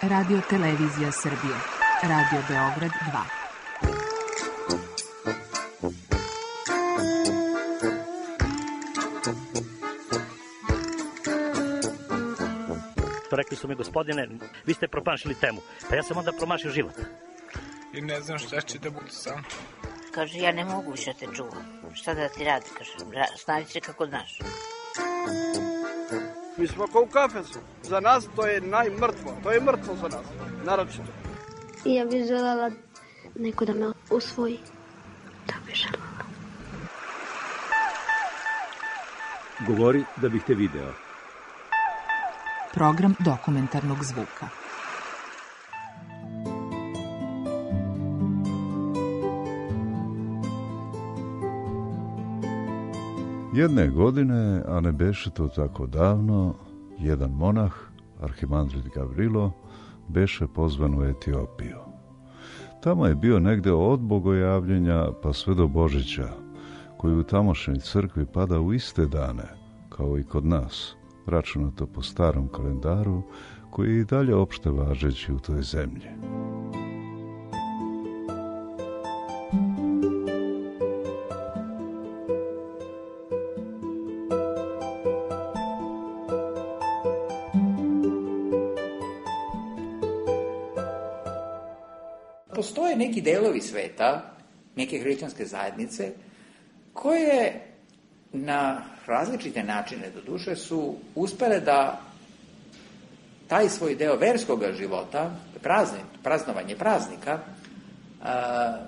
Radio Televizija Srbije. Radio Beograd 2. Rekli su mi, gospodine, vi ste promašili temu. Pa ja sam onda promašio život. I ne znam šta će da bude sam. Kaže, ja ne mogu više te čuvam. Šta da ti radi, kaže, snavi se kako znaš. Mi smo kao u kafesu. Za nas to je najmrtvo. To je mrtvo za nas, naročito. I ja bih želela neko da me usvoji. Da bih želela. Govori da bih te video. Program dokumentarnog zvuka. Jedne godine, a ne beše to tako davno, jedan monah, arhimandrit Gavrilo, beše pozvan u Etiopiju. Tamo je bio negde od bogojavljenja pa sve do Božića, koji u tamošnjoj crkvi pada u iste dane, kao i kod nas, računato po starom kalendaru, koji je i dalje opšte važeći u toj zemlji. Postoje neki delovi sveta, neke hrišćanske zajednice, koje na različite načine, doduše, su uspele da taj svoj deo verskoga života, praznovanje praznika,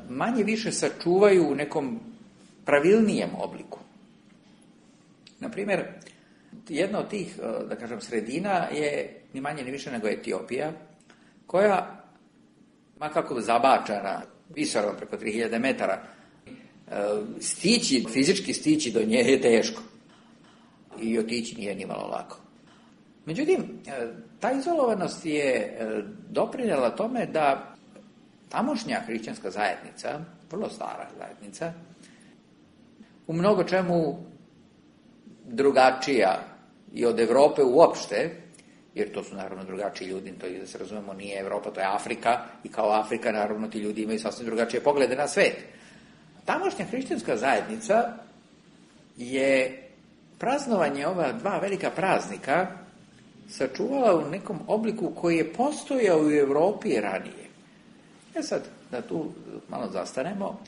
manje više sačuvaju u nekom pravilnijem obliku. Naprimjer, jedna od tih, da kažem, sredina je ni manje ni više nego Etiopija, koja, ma kako zabačana, visorom preko 3000 metara, fizički stići do nje je teško. I otići nije ni malo lako. Međutim, ta izolovanost je doprinjela tome da tamošnja hrišćanska zajednica, vrlo stara zajednica, u mnogo čemu drugačija i od Evrope uopšte, jer to su naravno drugačiji ljudi, to je, da se razumemo, nije Evropa, to je Afrika, i kao Afrika naravno ti ljudi imaju sasvim drugačije poglede na svet. Tamošnja hrišćanska zajednica je praznovanje ova dva velika praznika sačuvala u nekom obliku koji je postojao u Evropi ranije. Sad, da tu malo zastanemo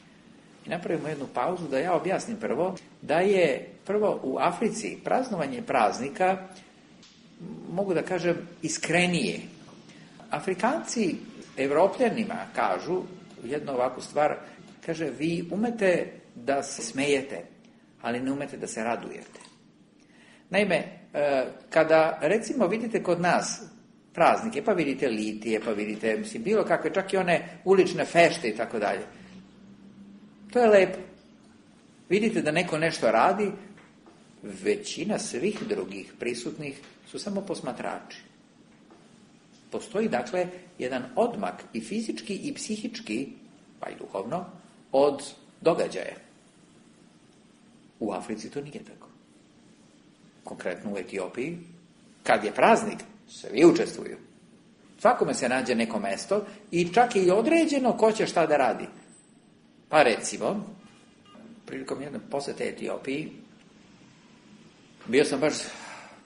i napravimo jednu pauzu, da ja objasnim prvo, da je prvo u Africi praznovanje praznika, mogu da kažem, iskrenije. Afrikanci Evropljanima kažu jednu ovakvu stvar, kaže, vi umete da se smejete, ali ne umete da se radujete. Naime, kada recimo vidite kod nas praznike, pa vidite litije, pa vidite, mislim, bilo kakve, čak i one ulične fešte i tako dalje, to je lepo. Vidite da neko nešto radi, većina svih drugih prisutnih su samo posmatrači. Postoji, dakle, jedan odmak i fizički i psihički, pa i duhovno, od događaja. U Africi to nije tako. Konkretno u Etiopiji, kad je praznik, svi učestvuju. Svakome se nađe neko mesto i čak je i određeno ko će šta da radi. Pa recimo, prilikom jedne posete Etiopiji, bio sam baš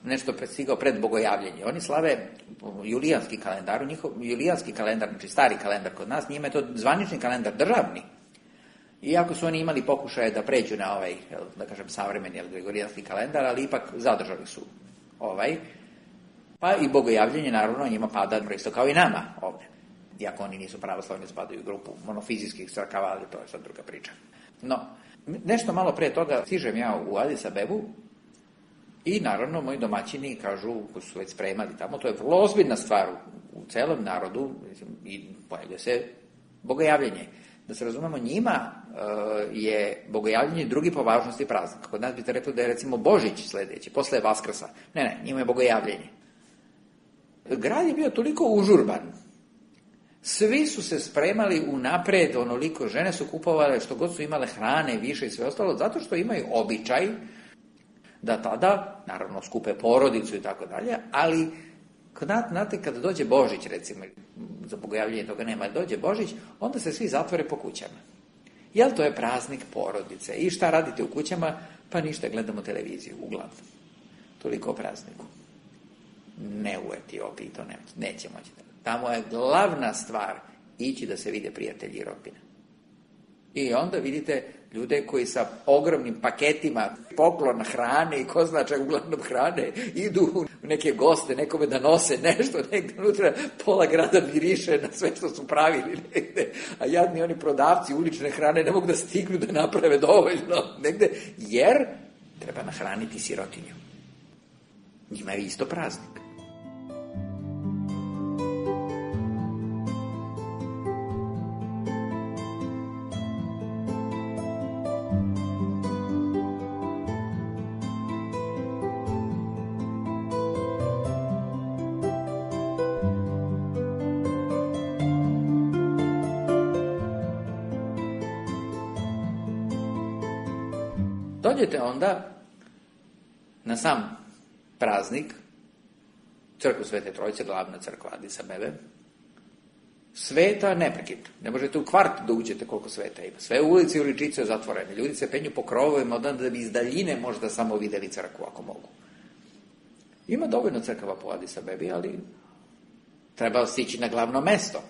nešto stigao pred bogojavljenje. Oni slave julijanski kalendar, julijanski kalendar, znači stari kalendar kod nas, njima je to zvanični kalendar, državni. Iako su oni imali pokušaje da pređu na ovaj, da kažem, savremeni gregorijanski kalendar, ali ipak zadržali su ovaj. Pa i bogojavljenje, naravno, njima pada isto kao i nama ovdje. Iako oni nisu pravoslavni, spadaju u grupu monofizijskih crkava, ali to je sad druga priča. No, nešto malo pre toga stižem ja u Adis Abebu i naravno moji domaćini kažu, koji su već spremali tamo, to je vrlo ozbiljna stvar u celom narodu i pojavlja se bogojavljenje. Da se razumemo, njima je bogojavljenje drugi po važnosti praznik. Kod nas biste rekli da je recimo Božić sledeći, posle Vaskrsa. Ne, njima je bogojavljenje. Grad je bio toliko užurban. Svi su se spremali unapred, onoliko, žene su kupovale što god su imale hrane, više i sve ostalo, zato što imaju običaj da tada, naravno, skupe porodicu i tako dalje, ali Znate, kada dođe Božić, recimo, za bogojavljenje toga nema, dođe Božić, onda se svi zatvore po kućama. Jel to je praznik porodice? I šta radite u kućama? Pa ništa, gledamo televiziju, uglavnom. Toliko o prazniku. Ne u Etiopiji, to neće moći. Tamo je glavna stvar ići da se vide prijatelji i rodbina. I onda vidite ljude koji sa ogromnim paketima poklon hrane i ko zna čak uglavnom hrane idu u neke goste, nekome da nose nešto, negde unutra pola grada miriše na sve što su pravili negde, a jadni oni prodavci ulične hrane ne mogu da stignu da naprave dovoljno negde, jer treba nahraniti sirotinju. Njima je isto praznik. Dođete onda na sam praznik, crkvu Svete Trojice, glavna crkva Adis Abebe, sveta neprekidno. Ne možete u kvart da uđete koliko sveta ima. Sve ulice i uličice je zatvorene. Ljudi se penju po krovovima da bi iz daljine možda samo videli crkvu ako mogu. Ima dovoljno crkava po Adis Abebi, ali treba stići na glavno mesto.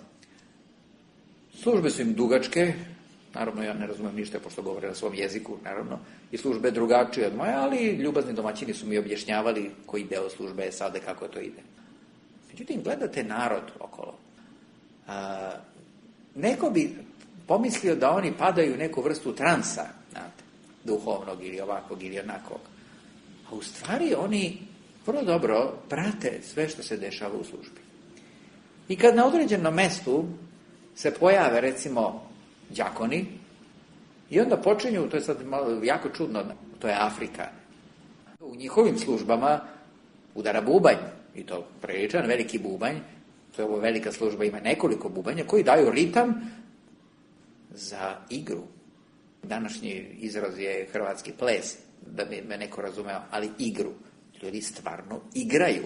Službe su im dugačke, naravno ja ne razumem ništa pošto govore na svom jeziku, naravno, i službe drugačije od moje, ali ljubazni domaćini su mi objašnjavali koji deo službe je sada, kako to ide. Međutim, gledate narod okolo. Neko bi pomislio da oni padaju u neku vrstu transa, znate, duhovnog ili ovakvog ili onakvog. A u stvari oni vrlo dobro prate sve što se dešava u službi. I kad na određenom mestu se pojave, recimo, đakoni, i onda počinju, to je sad malo jako čudno, to je Afrika. U njihovim službama udara bubanj, i to priličan veliki bubanj, to je ovo velika služba, ima nekoliko bubanja, koji daju ritam za igru. Današnji izraz je hrvatski ples, da bi me neko razumeo, ali igru. Ljudi stvarno igraju.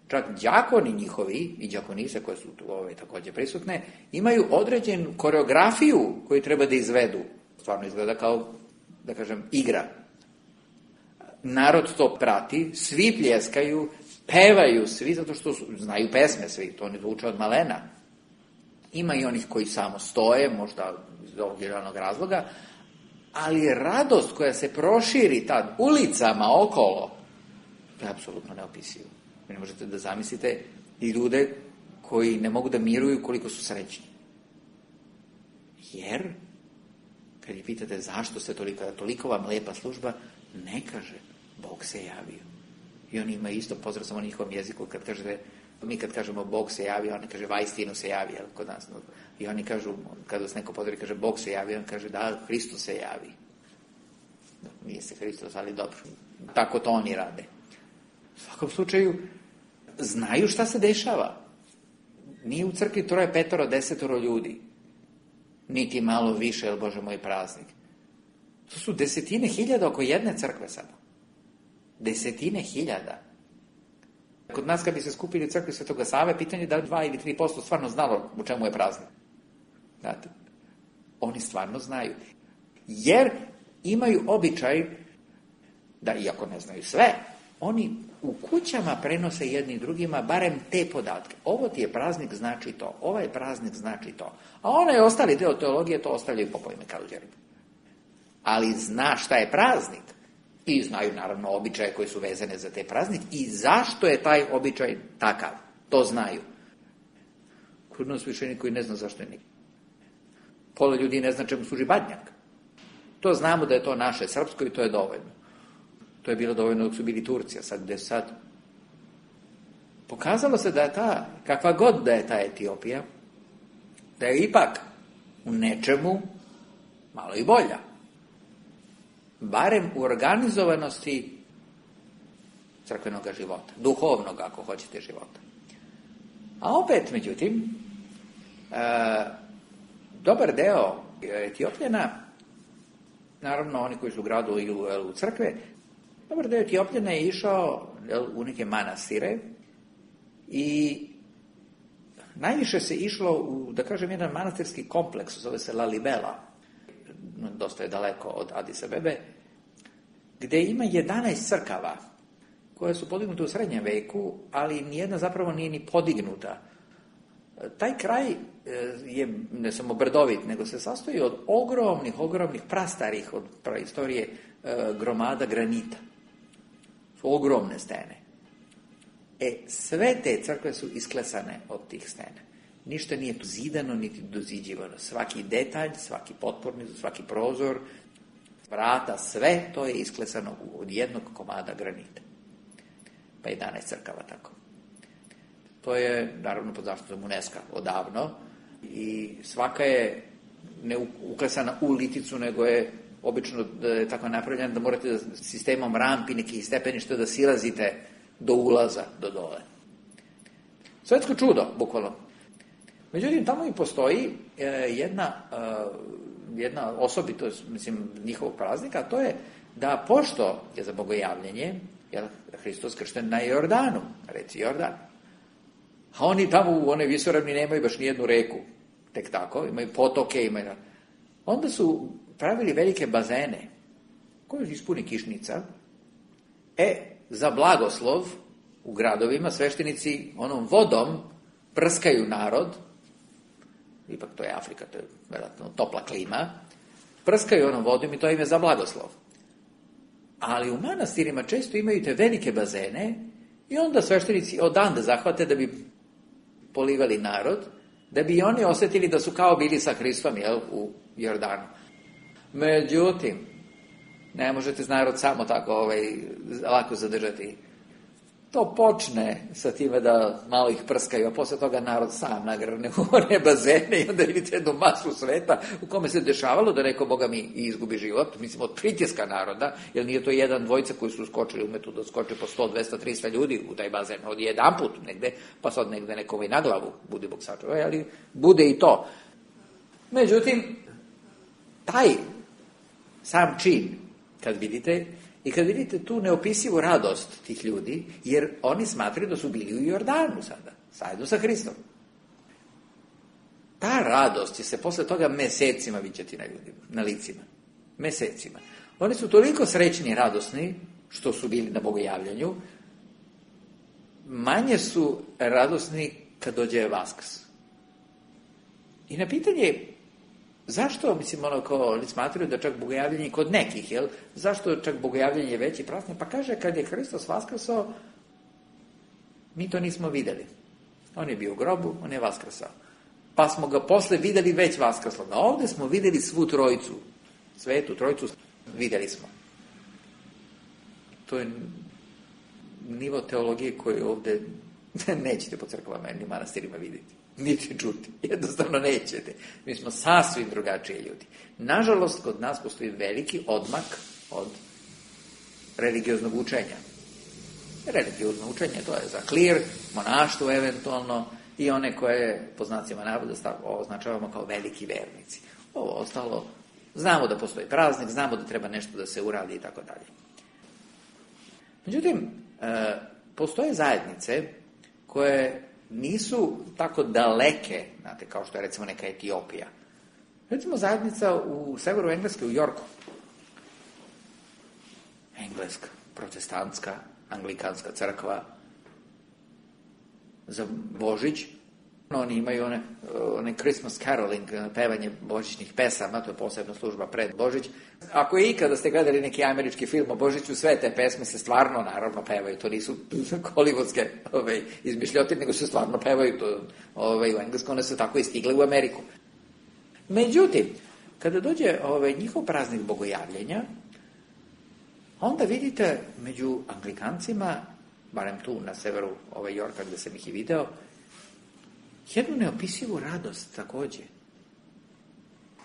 Čak đakoni njihovi i đakonise koje su tu također prisutne, imaju određenu koreografiju koju treba da izvedu. Stvarno izgleda kao, da kažem, igra. Narod to prati, svi pljeskaju, pevaju svi, zato što znaju pesme svi, to oni zvuče od malena. Ima i onih koji samo stoje, možda iz ovog ili onog razloga, ali radost koja se proširi tad ulicama okolo, to je apsolutno neopisivo. Vi ne možete da zamislite i ljude koji ne mogu da miruju koliko su srećni. Jer, kad ih pitate zašto se toliko vam lepa služba, ne kaže, Bog se javio. I oni imaju isto pozdrav samo na njihovom jeziku, kad kažete, mi kad kažemo Bog se javio, on kaže vaistinu se javio kod nas. I oni kažu, kad vas neko pozdravi, kaže Bog se javio, on kaže da, Hristos se javi. Nije se Hristos, ali dobro. Tako to oni rade. U svakom slučaju, znaju šta se dešava. Nije u crkvi 3, 5, 10 ljudi. Niti malo više, jer Bože moj praznik. To su 10.000 oko jedne crkve samo. 10.000. Kod nas kad bi se skupili u crkvi Svetoga Save, pitanje da 2 ili 3% stvarno znalo u čemu je praznik. Znate, oni stvarno znaju. Jer imaju običaj da, iako ne znaju sve, oni u kućama prenose jedni drugima barem te podatke. Ovo ti je praznik, znači to. Ovaj praznik znači to. A onaj ostali deo teologije to ostavljaju popovima kaluđerima. Ali zna šta je praznik. I znaju naravno običaje koji su vezane za te praznik i zašto je taj običaj takav. To znaju. Kod nas više niko i ne zna zašto je niko. Pola ljudi ne zna čemu služi badnjak. To znamo da je to naše srpsko i to je dovoljno. To je bilo dovoljno dok su bili Turci, a sad gde sad? Pokazalo se da je kakva god da je ta Etiopija, da je ipak u nečemu malo i bolja. Barem u organizovanosti crkvenog života, duhovnog, ako hoćete, života. A opet, međutim, dobar deo Etiopljana, naravno oni koji su u gradu i u crkve, dobar deo Etiopljana je išao u neke manastire I najviše se išlo u, da kažem, jedan manastirski kompleks, zove se Lalibela, dosta je daleko od Adis Abebe, gde ima 11 crkava koje su podignute u srednjem veku, ali nijedna zapravo nije ni podignuta. Taj kraj je ne samo brdovit, nego se sastoji od ogromnih, prastarih od praistorije gromada granita. Su ogromne stene. Sve te crkve su isklesane od tih stena. Ništa nije zidano, niti doziđivano. Svaki detalj, svaki potporni, svaki prozor, vrata, sve to je isklesano od jednog komada granita. Pa 11 crkava tako. To je, naravno, pod zaštitom UNESCO odavno i svaka je ne uklesana u liticu, nego je obično da je tako napravljena da morate da sistemom rampi, nekih stepeništa da silazite do ulaza, do dole. Svetsko čudo, bukvalno. Međutim, tamo i postoji jedna osobitost, mislim, njihovog praznika, a to je da pošto je za bogojavljenje, je Hristos kršten na Jordanu, reci Jordan, a oni tamo u onoj visoravni nemaju baš nijednu reku, tek tako, imaju potoke, onda su pravili velike bazene, koje ispuni kišnica, za blagoslov u gradovima sveštenici onom vodom prskaju narod, ipak to je Afrika, to je vjerojatno topla klima, prskaju onom vodom i to im je za blagoslov. Ali u manastirima često imaju te velike bazene i onda sveštenici odande zahvate da bi polivali narod, da bi oni osjetili da su kao bili sa Hristom, u Jordanu. Međutim, ne možete narod samo tako lako zadržati. To počne sa time da malo ih prskaju, a posle toga narod sam nagrne u one bazene i onda vidite jednu masu sveta u kome se dešavalo da neko, Boga mi, izgubi život, mislim, od pritiska naroda, jer nije to jedan, dvojica koji su skočili umetu da skoče po 100, 200, 300 ljudi u taj bazen, od jedan put negde, pa sad negde nekome na glavu, budi Bog sačuvaj, ali bude i to. Međutim, taj sam čin, kad vidite tu neopisivu radost tih ljudi, jer oni smatraju da su bili u Jordanu sada, zajedno sa Hristom. Ta radost će se posle toga mesecima viđati na ljudima, na licima. Mesecima. Oni su toliko srećni i radosni što su bili na bogojavljanju, manje su radosni kad dođe Vaskrs. I na pitanje zašto, mislim, oni smatraju da čak bogojavljanje kod nekih, zašto čak bogojavljanje je veći praznik? Pa kaže, kad je Hristos vaskrsao, mi to nismo videli. On je bio u grobu, on je vaskrsao. Pa smo ga posle videli već vaskrsao. A ovde smo videli svu trojicu, svetu trojicu, videli smo. To je nivo teologije koju ovde nećete po crkvama ni manastirima vidjeti. Niti čuti. Jednostavno nećete. Mi smo sasvim drugačiji ljudi. Nažalost, kod nas postoji veliki odmak od religioznog učenja. Religiozno učenje, to je za klir, monaštvo eventualno i one koje, po znacima navoda, označavamo kao veliki vernici. Ovo ostalo, znamo da postoji praznik, znamo da treba nešto da se uradi i tako dalje. Međutim, postoje zajednice koje nisu tako daleke, znate, kao što je recimo neka Etiopija. Recimo zajednica u severu Engleske, u Yorku. Engleska, protestantska, anglikanska crkva. Za Božić oni imaju one Christmas caroling, pevanje božićnih pesama, to je posebna služba pred Božić. Ako je ikada ste gledali neki američki film o Božiću, sve te pesme se stvarno, naravno, pevaju. To nisu hollywoodske izmišljotine, nego se stvarno pevaju. U Englesku one su tako i stigle u Ameriku. Međutim, kada dođe njihov praznik bogojavljenja, onda vidite među Anglikancima, barem tu na severu Yorka gde sam ih i video, jednu neopisivu radost takođe.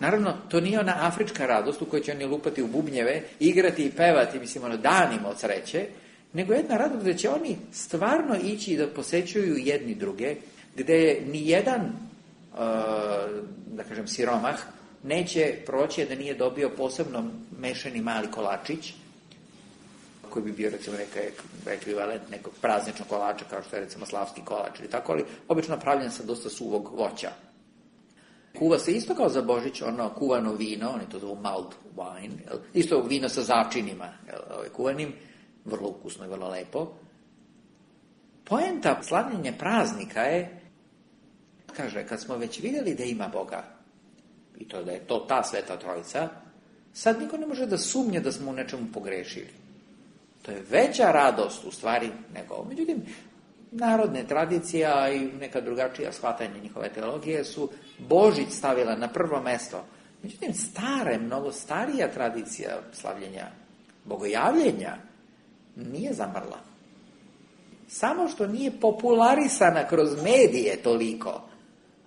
Naravno, to nije ona afrička radost u kojoj će oni lupati u bubnjeve, igrati i pevati, mislim, danima od sreće, nego jedna radost gde će oni stvarno ići da posećuju jedni druge, gde ni jedan, da kažem, siromah neće proći da nije dobio posebno mešani mali kolačić, koji bi bio recimo ekvivalent nekog prazničnog kolača, kao što je recimo slavski kolač ili tako, ali obično pravljen sa dosta suvog voća. Kuva se isto kao za Božić, kuvano vino, oni to zovu mulled wine, isto vino sa začinima kuvanim, vrlo ukusno i vrlo lepo. Poenta slavljenja praznika je, kaže, kad smo već vidjeli da ima Boga, i to da je to ta Sveta Trojica, sad niko ne može da sumnje da smo u nečemu pogrešili. To je veća radost u stvari nego. Međutim, narodne tradicija i neka drugačija shvatanja njihove teologije su Božić stavila na prvo mesto. Međutim, mnogo starija tradicija slavljenja bogojavljenja nije zamrla. Samo što nije popularisana kroz medije toliko,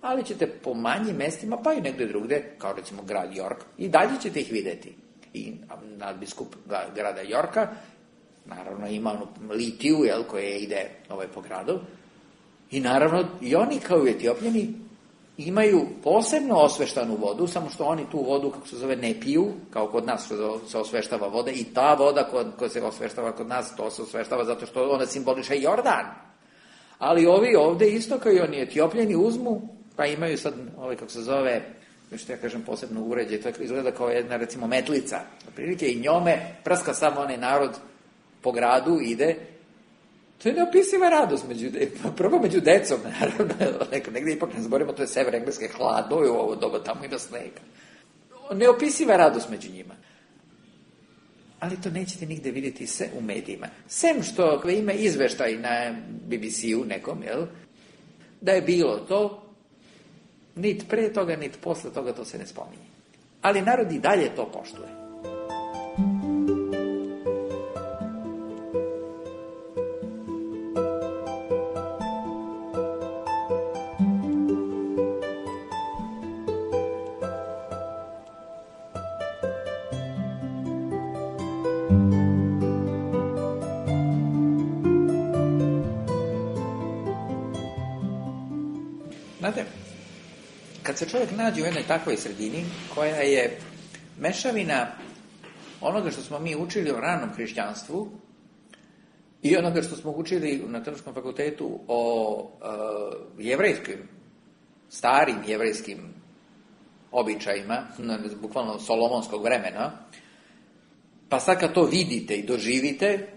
ali ćete po manjim mestima, pa i negdje drugde, kao recimo grad York, i dalje ćete ih vidjeti. I nadbiskup grada Yorka, naravno ima onu litiju, koja ide po gradu, i naravno i oni kao i Etiopljani imaju posebno osveštanu vodu, samo što oni tu vodu, kako se zove, ne piju, kao kod nas se osveštava voda, i ta voda koja se osveštava kod nas, to se osveštava zato što ona simboliše Jordan. Ali ovi ovde isto kao i oni Etiopljani uzmu, pa imaju sad, kako se zove, što ja kažem, posebno uređaj, to izgleda kao jedna, recimo, metlica, otprilike, i njome prska samo onaj narod po gradu, ide. To je neopisiva radost prvo među decom, naravno, negdje ipak ne zaboravimo, to je sever Engleske, hladno je u ovo doba, tamo ima snega. Neopisiva radost među njima. Ali to nećete nigde vidjeti se u medijima. Sem što ima izveštaj na BBC-u nekom, da je bilo to, nit pre toga, nit posle toga to se ne spominje. Ali narod i dalje to poštuje. Znate, kad se čovjek nađe u jednoj takvoj sredini, koja je mešavina onoga što smo mi učili o ranom hrišćanstvu i onoga što smo učili na Teološkom fakultetu o starim jevrejskim običajima, bukvalno solomonskog vremena, pa sad kad to vidite i doživite,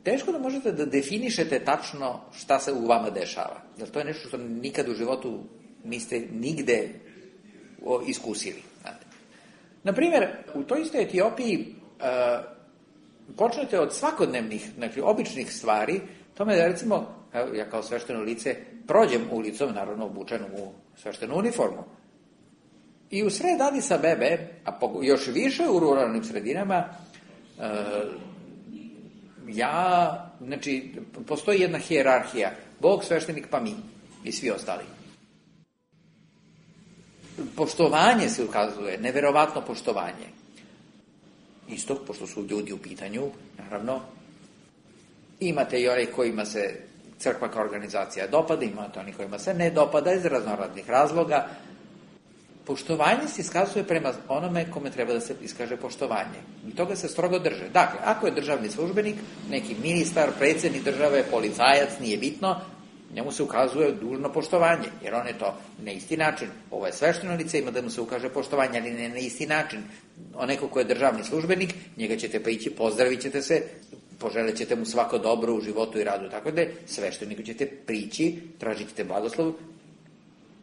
teško da možete da definišete tačno šta se u vama dešava. Jer to je nešto što nikad u životu niste nigde iskusili. Naprimjer, u toj istoj Etiopiji počnete od svakodnevnih, običnih stvari, tome da recimo, ja kao svešteno lice prođem ulicom, naravno obučen u sveštenu uniformu, i u sred Adis Abebe, a još više u ruralnim sredinama, postoji jedna hijerarhija, Bog, sveštenik, pa mi i svi ostali. Poštovanje se ukazuje, neverovatno poštovanje. Isto, pošto su ljudi u pitanju, naravno, imate i one kojima se crkva kao organizacija dopada, imate oni kojima se ne dopada iz raznoraznih razloga. Poštovanje se iskazuje prema onome kome treba da se iskaže poštovanje. I toga se strogo drže. Dakle, ako je državni službenik, neki ministar, predsjednik države, policajac, nije bitno, njemu se ukazuje dužno poštovanje, jer on je to na isti način. Ovo je svešteno lice, ima da mu se ukaže poštovanje, ali ne na isti način. Oneko ko je državni službenik, njega ćete pa ići, pozdravit ćete se, poželit ćete mu svako dobro u životu i radu, tako da svešteniku ćete prići, tražit ćete blagoslov,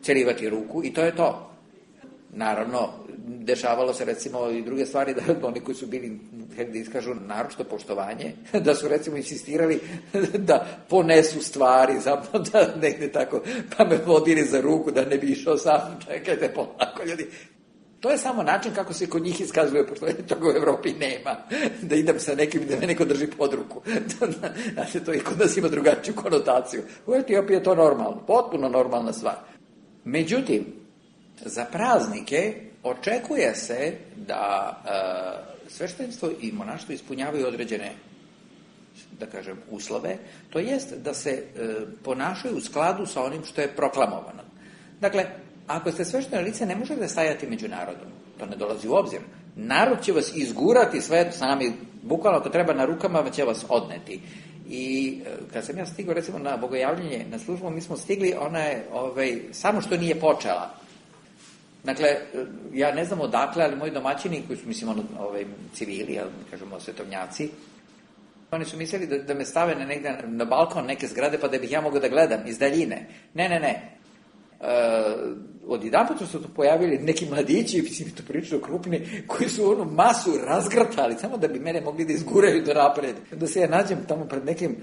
celivati ruku i to je to. Naravno, dešavalo se recimo i druge stvari, da oni koji su bili, da iskažu naročito poštovanje, da su recimo insistirali da ponesu stvari, zapravo da negde tako, pa me vodili za ruku da ne bi išao sam, čekajte polako ljudi. To je samo način kako se kod njih iskazuje poštovanje, toga u Evropi nema, da idem sa nekim da me neko drži pod ruku. Znači, to i kod nas ima drugačiju konotaciju. U Etiopiji je to normalno, potpuno normalna stvar. Međutim, za praznike očekuje se da sveštenstvo i monaštvo ispunjavaju određene, da kažem, uslove, to jest da se ponašaju u skladu sa onim što je proklamovano. Dakle, ako ste svešteno lice, ne možete stajati među narodom. To ne dolazi u obzir. Narod će vas izgurati sve, sami Bukvalno ako treba na rukama će vas odneti. I kad sam ja stigao recimo na bogojavljanje na službu, mi smo stigli, ona je samo što nije počela. Dakle, ja ne znam odakle, ali moji domaćini koji su, mislim, civili, kažemo svetovnjaci, oni su mislili da me stave na balkon neke zgrade pa da bih ja mogao da gledam iz daljine. Ne. Odjedanput su se tu pojavili neki mladići, mislim, to pričaju krupni, koji su onu masu razgrtali, samo da bi mene mogli da izguraju do napred. Da se ja nađem tamo pred nekim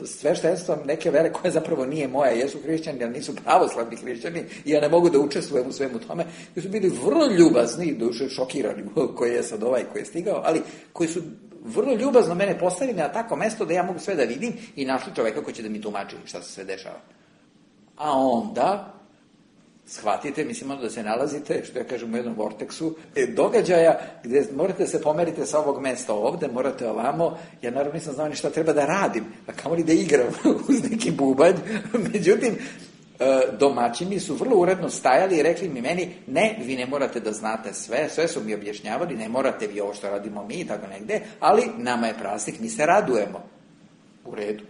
sveštenstvom neke vere koja zapravo nije moja, jesu hrišćani, ali nisu pravoslavni hrišćani i ja ne mogu da učestvujem u svemu tome. Koji su bili vrlo ljubazni, duše šokirani, koji je sad koji je stigao, ali koji su vrlo ljubazno mene postavili na tako mesto da ja mogu sve da vidim i našli čoveka koji će da mi tumači šta se sve dešava. A onda shvatite, mislim, da se nalazite, što ja kažem, u jednom vorteksu događaja gde morate se pomeriti sa ovog mesta ovde, morate ovamo. Ja naravno nisam znao ni šta treba da radim, a kamoli da igram uz neki bubanj. Međutim, domaćini su vrlo uredno stajali i rekli mi meni, ne, vi ne morate da znate sve su mi objašnjavali, ne morate vi ovo što radimo mi i tako negde, ali nama je praznik, mi se radujemo. U redu.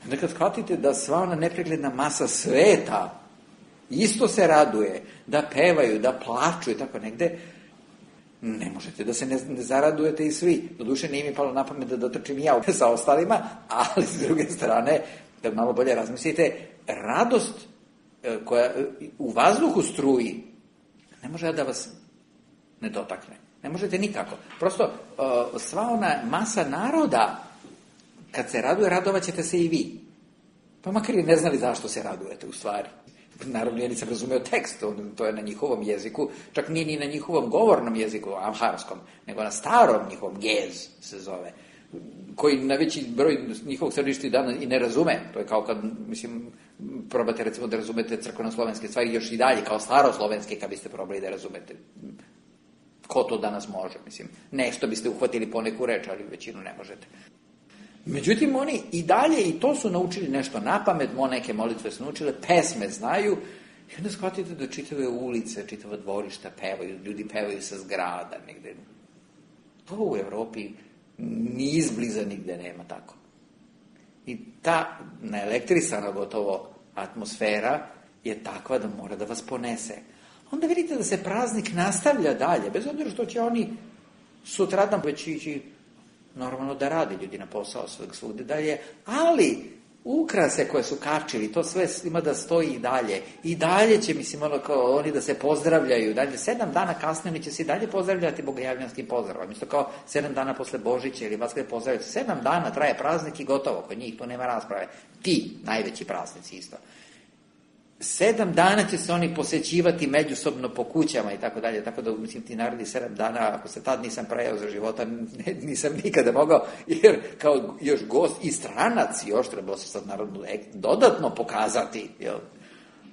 Onda kad shvatite da sva ona nepregledna masa sveta isto se raduje, da pevaju, da plaču i tako negde, ne možete da se ne zaradujete i svi. Doduše nije mi palo na pamet da dotrčim ja sa ostalima, ali s druge strane, da malo bolje razmislite, radost koja u vazduhu struji, ne može da vas ne dotakne. Ne možete nikako. Prosto, sva ona masa naroda, kad se raduje, radovat ćete se i vi. Pa makar i ne znali zašto se radujete u stvari. Naravno, ja nisam razumeo tekst, to je na njihovom jeziku, čak nije ni na njihovom govornom jeziku, amharskom, nego na starom njihovom, gez se zove, koji na veći broj njihovog stanovništva dana i ne razume. To je kao kad, mislim, probate recimo da razumete crkveno-slovenske stvari još i dalje, kao staroslovenske, kad biste probali da razumete. Ko to danas može, mislim. Nešto biste uhvatili po neku reč, ali većinu ne možete. Međutim, oni i dalje, i to su naučili nešto napamet, neke molitve su naučile, pesme znaju, i onda shvatite da čitave ulice, čitava dvorišta pevaju, ljudi pevaju sa zgrada negde. To u Evropi ni izbliza nigde nema tako. I ta naelektrisana gotovo atmosfera je takva da mora da vas ponese. Onda vidite da se praznik nastavlja dalje, bez obzira što će oni sutradan već ići normalno da rade ljudi na posao svugde dalje, ali ukrase koje su kačili, to sve ima da stoji i dalje. I dalje će, mislim, kao oni da se pozdravljaju. Dalje, 7 dana kasnije oni će se i dalje pozdravljati bogojavljanskim pozdravom. Isto kao 7 dana posle Božića ili Vaskre pozdravljati. 7 dana traje praznik i gotovo. Kod njih to nema rasprave. Ti, najveći praznici isto. 7 dana će se oni posećivati međusobno po kućama i tako dalje, tako da, mislim, ti narodi 7 dana, ako se tad nisam prejao za života, nisam nikada mogao, jer kao još gost i stranac još trebalo se sad naravno dodatno pokazati, jel?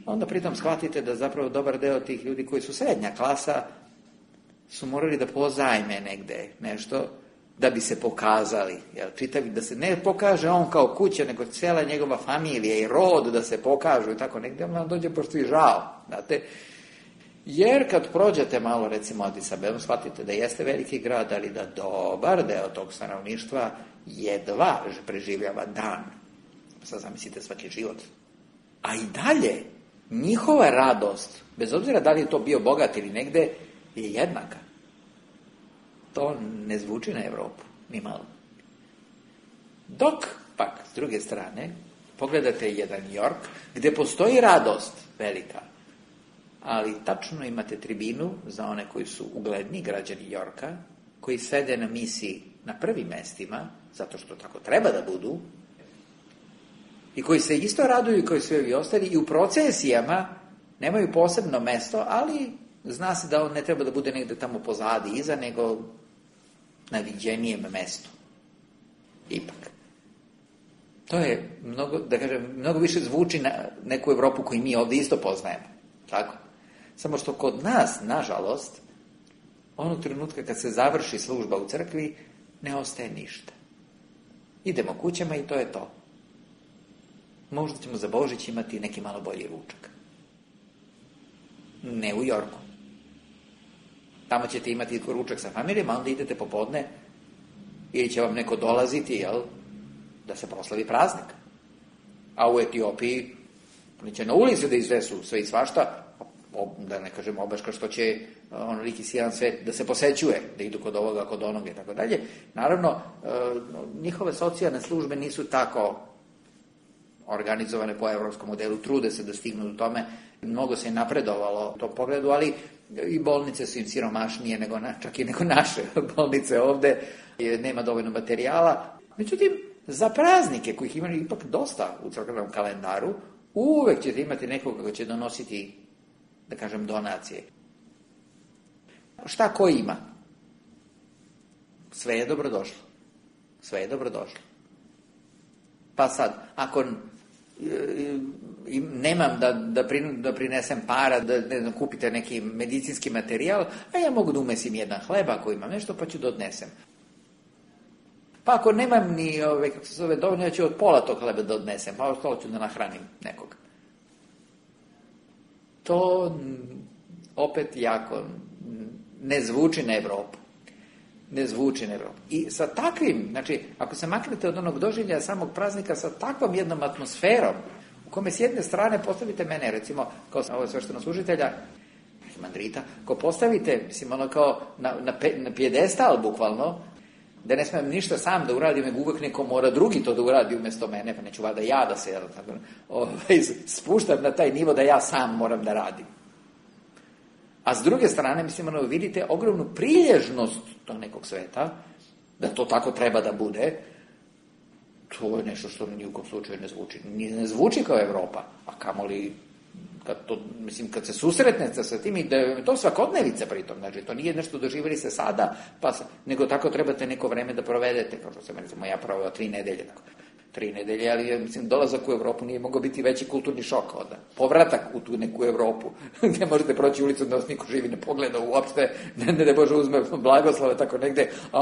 Onda pritom shvatite da zapravo dobar deo tih ljudi koji su srednja klasa su morali da pozajme negde nešto da bi se pokazali, jel, čitavi, da se ne pokaže on kao kuća, nego cijela njegova familija i rod da se pokažu i tako negdje, vam dođe pošto i žao, znate. Jer kad prođete malo, recimo, Adis Abebu, shvatite da jeste veliki grad, ali da dobar deo tog stanovništva jedva preživljava dan. Sad zamislite svaki život. A i dalje, njihova radost, bez obzira da li je to bio bogat ili negde, je jednaka. To ne zvuči na Evropu, ni malo. Dok, pak, s druge strane, pogledate jedan New York, gde postoji radost velika, ali tačno imate tribinu za one koji su ugledni građani New Yorka, koji sede na misi na prvim mestima, zato što tako treba da budu, i koji se isto raduju kao i svi ovi ostali, i u procesijama nemaju posebno mesto, ali zna se da on ne treba da bude negde tamo pozadi iza, nego na viđenijem mestu. Ipak. To je mnogo, da kažem, mnogo više zvuči na neku Evropu koju mi ovdje isto poznajemo. Tako? Samo što kod nas, nažalost, onog trenutka kad se završi služba u crkvi, ne ostaje ništa. Idemo kućama i to je to. Možda ćemo za Božić imati neki malo bolji ručak. Ne u Jorku. Tamo ćete imati ručak sa familijom, a onda idete popodne ili će vam neko dolaziti, jel, da se proslavi praznik. A u Etiopiji oni će na ulici da izvesu sve i svašta, da ne kažem obaška što će onoliki sijan svet da se posećuje, da idu kod ovoga, kod onoga i tako dalje. Naravno, njihove socijalne službe nisu tako organizovane po evropskom modelu, trude se da stignu do tome, mnogo se je napredovalo u tom pogledu, ali i bolnice su im siromašnije nego čak i nego naše bolnice ovde, nema dovoljno materijala. Međutim, za praznike kojih imaju ipak dosta u crkvenom kalendaru, uvek ćete imati nekoga ko će donositi, da kažem, donacije. Šta ko ima? Sve je dobrodošlo. Sve je dobrodošlo. Pa sad, ako nemam da prinesem para, da kupite neki medicinski materijal, a ja mogu da umesim jedan hleba ako imam nešto, pa ću da odnesem. Pa ako nemam ni, kako se zove, dovoljno, ja ću od pola tog hleba da odnesem, pa ostalo ću da nahranim nekog. To opet jako ne zvuči na Evropu. Ne zvuči na Evropu. I sa takvim, znači, ako se maknete od onog doživljaja samog praznika, sa takvom jednom atmosferom, u kome s jedne strane postavite mene, recimo, kao ovo sveštenog služitelja, mandrita, ko postavite, mislim, ono kao na pijedestal, bukvalno, da ne smijem ništa sam da uradim, nego uvek neko mora drugi to da uradi umjesto mene, pa neću vada ja da se spuštam na taj nivo da ja sam moram da radim. A s druge strane, mislim, vidite ogromnu prilježnost tog nekog sveta, da to tako treba da bude, to je nešto što ni u kom slučaju ne zvuči. Ne zvuči kao Evropa, a kamoli kad se susretnete sa tim, i da je to svakodnevica pritom, znači to nije nešto doživjeli se sada, nego tako trebate neko vreme da provedete, kao što sam, recimo, ja proveo 3 nedelje, tako. 3 nedelje, ali, mislim, dolazak u Evropu nije mogao biti veći kulturni šok onda. Povratak u tu neku Evropu, gde možete proći ulicu da vas niko živi ne pogleda uopšte, ne Bože uzme blagoslove tako negde, a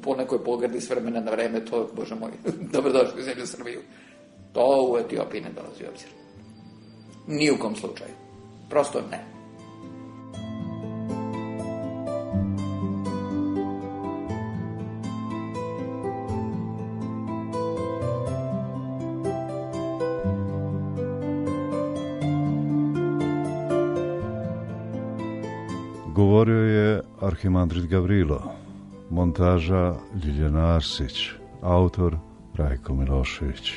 po nekoj pogradi s vremena na vreme, to, Bože moj, dobrodošli u zemlju Srbiju. To u Etiopiji ne dolazi u obzir. Ni u kom slučaju. Prosto ne. Govorio je arhimandrit Gavrilo, montaža Ljiljana Arsić, autor Rajko Milošević.